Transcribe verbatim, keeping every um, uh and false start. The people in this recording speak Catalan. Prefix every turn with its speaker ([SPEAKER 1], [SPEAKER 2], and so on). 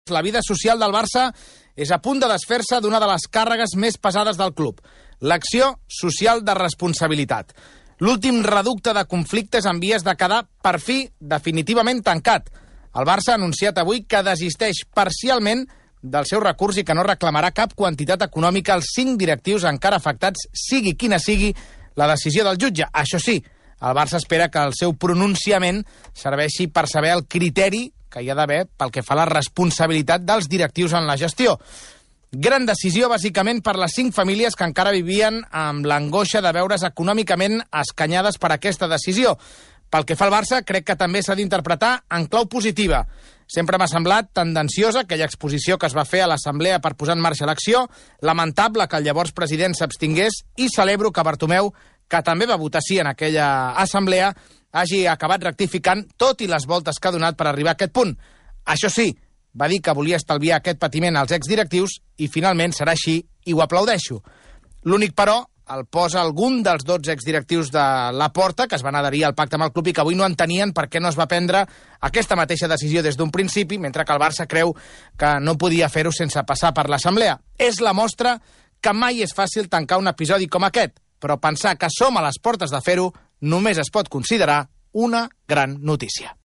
[SPEAKER 1] La vida social del Barça és a punt de desfer-se d'una de les càrregues més pesades del club, l'acció social de responsabilitat. L'últim reducte de conflictes en vies de quedar, per fi, definitivament tancat. El Barça ha anunciat avui que desisteix parcialment del seu recurs i que no reclamarà cap quantitat econòmica als cinc directius encara afectats, sigui quina sigui la decisió del jutge. Això sí, el Barça espera que el seu pronunciament serveixi per saber el criteri que hi ha d'haver pel que fa a la responsabilitat dels directius en la gestió. Gran decisió, bàsicament, per les cinc famílies que encara vivien amb l'angoixa de veure's econòmicament escanyades per aquesta decisió. Pel que fa al Barça, crec que també s'ha d'interpretar en clau positiva. Sempre m'ha semblat tendenciosa aquella exposició que es va fer a l'Assemblea per posar en marxa l'acció, lamentable que el llavors president s'abstingués i celebro que Bartomeu, que també va votar sí en aquella assemblea, hagi acabat rectificant tot i les voltes que ha donat per arribar a aquest punt. Això sí, va dir que volia estalviar aquest patiment als exdirectius i finalment serà així i ho aplaudeixo. L'únic, però, el posa algun dels dotze exdirectius de Laporta, que es van adherir al pacte amb el club i que avui no entenien per què no es va prendre aquesta mateixa decisió des d'un principi, mentre que el Barça creu que no podia fer-ho sense passar per l'Assemblea. És la mostra que mai és fàcil tancar un episodi com aquest, però pensar que som a les portes de fer-ho només es pot considerar una gran notícia.